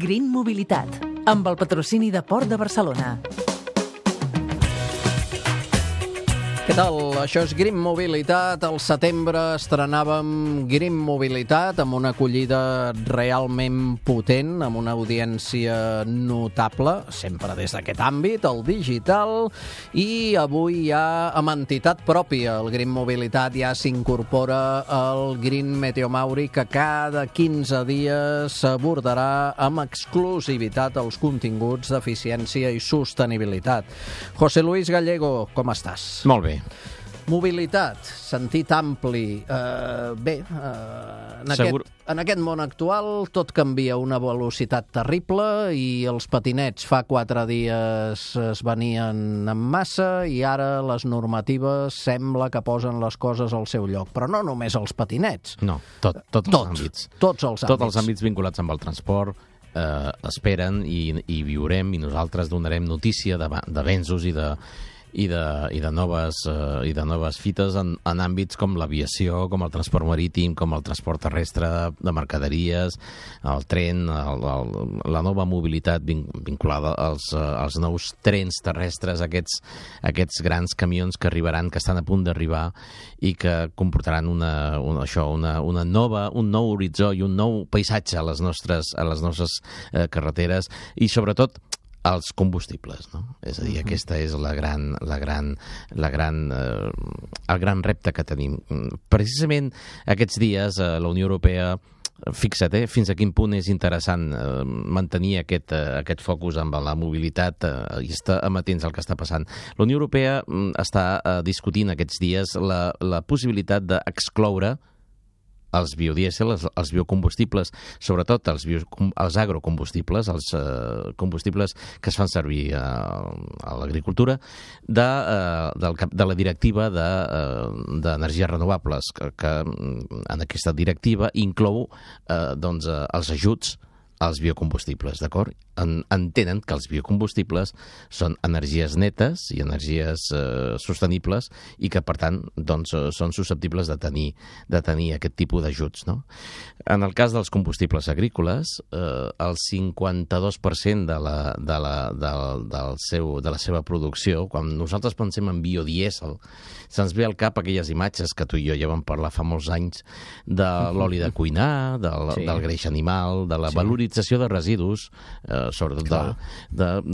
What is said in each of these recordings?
Green Mobilitat, amb el patrocini de Port de Barcelona. Què tal? Això és Green Mobilitat. Al setembre estrenàvem Green Mobilitat amb una acollida realment potent, amb una audiència notable, sempre des d'aquest àmbit, el digital, i avui ja amb entitat pròpia. El Green Mobilitat ja s'incorpora al Green Meteomauri, que cada 15 dies s'abordarà amb exclusivitat els continguts d'eficiència i sostenibilitat. José Luis Gallego, com estàs? Molt bé. Mobilitat, sentit ampli. En aquest món actual tot canvia a una velocitat terrible i els patinets fa 4 dies es venien en massa i ara les normatives sembla que posen les coses al seu lloc. Però no només els patinets. No, tots els àmbits. Tots els àmbits vinculats amb el transport esperen i viurem, i nosaltres donarem notícia d'avenços i de noves fites en àmbits com l'aviació, com el transport marítim, com el transport terrestre de mercaderies, el tren, la nova mobilitat vinculada als nous trens terrestres, aquests grans camions que arribaran, que estan a punt d'arribar i que comportaran un nou horitzó i un nou paisatge a les nostres carreteres, i sobretot els combustibles, no? És a dir, aquesta és el gran repte que tenim. Precisament aquests dies la Unió Europea, fixa't, fins a quin punt és interessant mantenir aquest focus amb la mobilitat i estar amatents al que està passant. La Unió Europea està discutint aquests dies la possibilitat d'excloure els biodièsel, els biocombustibles, sobretot els agrocombustibles, els combustibles que es fan servir a l'agricultura, de la directiva d'energies renovables, que en aquesta directiva inclou els ajuts als biocombustibles, d'acord? Entenen que els biocombustibles són energies netes i energies sostenibles i que, per tant, són susceptibles de tenir aquest tipus d'ajuts, no? En el cas dels combustibles agrícoles, el 52% de la seva producció, quan nosaltres pensem en biodièsel, se'ns ve al cap aquelles imatges que tu i jo ja vam parlar fa molts anys de l'oli de cuinar, del greix animal, de la valorització de residus, sobretot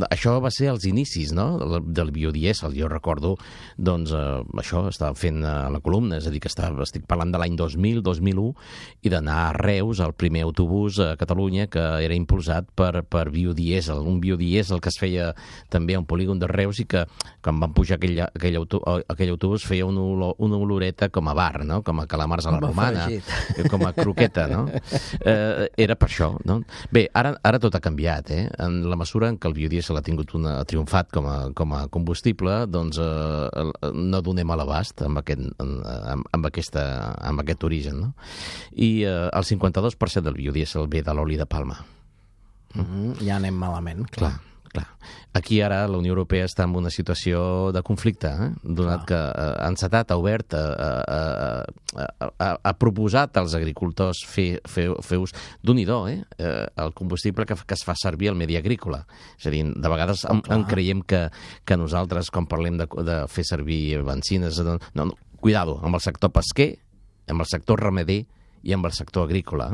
això va ser als inicis, no?, del biodièsel. Jo recordo, això estava fent a la columna, és a dir, que estic parlant de l'any 2000, 2001, i d'anar a Reus, el primer autobús a Catalunya que era impulsat per biodièsel, un biodièsel que es feia també a un polígon de Reus i que quan van pujar aquell autobús feia una oloreta com a bar, no?, com a calamars a la romana, com a croqueta, no? Era per això, no? Bé, ara tot ha canviat, en la mesura en què el biodièsel ha triomfat com a combustible, doncs no donem a l'abast amb aquest origen, no? I el 52% del biodièsel ve de l'oli de palma. Ja anem malament. Clar. Aquí ara la Unió Europea està en una situació de conflicte, donat que ha encetat, ha obert, ha proposat als agricultors fer ús d'un-i-do, el combustible que es fa servir al medi agrícola. És a dir, de vegades creiem que nosaltres, quan parlem de fer servir benzines, no, cuidado, amb el sector pesquer, amb el sector ramader i amb el sector agrícola.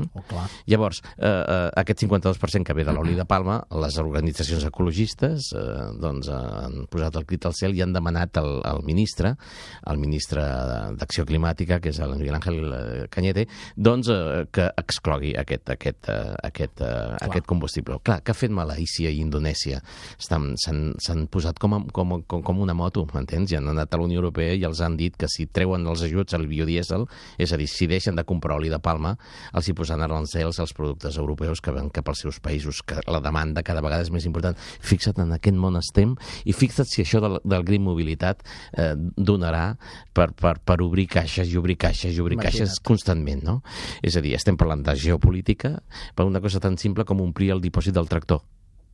Llavors, aquest 52% que ve de l'oli de palma, les organitzacions ecologistes han posat el crit al cel i han demanat al ministre d'Acció Climàtica, que és el Miguel Ángel Cañete, que exclogui aquest combustible. Clar, que ha fet Malàisia i Indonèsia? S'han posat com una moto, m'entens? I han anat a la Unió Europea i els han dit que si treuen els ajuts al biodièsel, és a dir, si deixen de comprar oli de palma, els hi posaran arancels als productes europeus que van cap als seus països, que la demanda cada vegada és més important. Fixa't en aquest món estem i fixa't si això del Green Mobilitat donarà per obrir caixes i obrir caixes constantment, no? És a dir, estem parlant de geopolítica per una cosa tan simple com omplir el dipòsit del tractor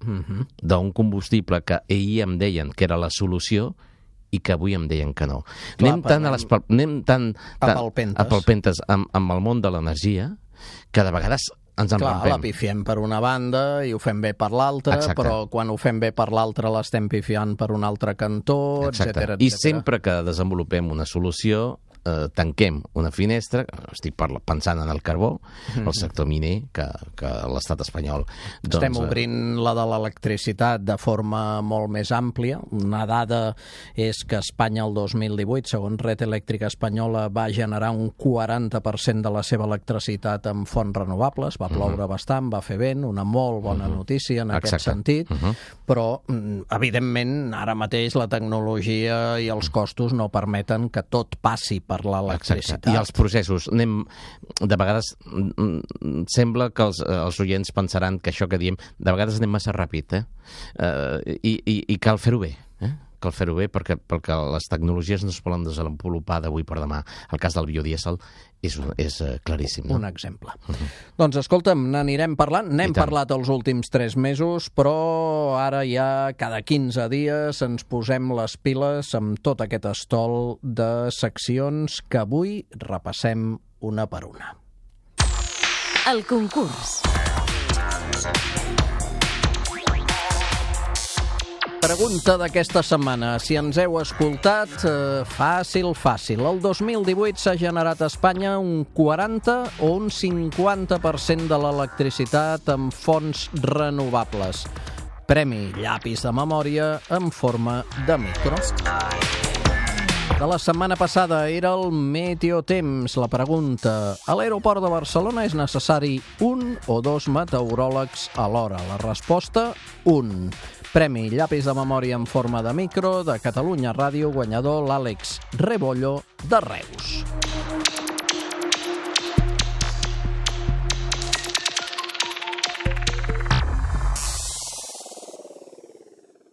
d'un combustible que ahir em deien que era la solució i que avui em deien que no. Anem tan a palpentes amb el món de l'energia que de vegades ens Clar, enrampem. la pifiem per una banda i ho fem bé per l'altra, Exacte. però quan ho fem bé per l'altra l'estem pifiant per un altre cantó, etcètera. I sempre que desenvolupem una solució, tanquem una finestra, estic pensant en el carbó, el sector miner, que l'estat espanyol... Estem obrint la de l'electricitat de forma molt més àmplia. Una dada és que Espanya el 2018, segons Red Elèctrica Espanyola, va generar un 40% de la seva electricitat amb fonts renovables, va ploure bastant, va fer vent, una molt bona notícia en aquest sentit, però, evidentment, ara mateix la tecnologia i els costos no permeten que tot passi per l'electricitat. I els processos, de vegades sembla que els oients pensaran que això que diem, de vegades anem massa ràpid, i cal fer-ho bé, cal fer-ho bé perquè les tecnologies no es poden desenvolupar d'avui per demà. El cas del biodièsel és claríssim. Un exemple. Doncs escolta'm, n'anirem parlant. N'hem parlat els últims 3 mesos, però ara ja cada 15 dies ens posem les piles amb tot aquest estol de seccions que avui repassem una per una. El concurs. Pregunta d'aquesta setmana. Si ens heu escoltat, fàcil. El 2018 s'ha generat a Espanya un 40 o un 50% de l'electricitat amb fonts renovables. Premi llapis de memòria en forma de micro. De la setmana passada era el meteotemps. La pregunta: a l'aeroport de Barcelona és necessari 1 o 2 meteoròlegs alhora? La resposta: 1. Premi llapis de memòria en forma de micro de Catalunya Ràdio, guanyador l'Àlex Rebollo de Reus.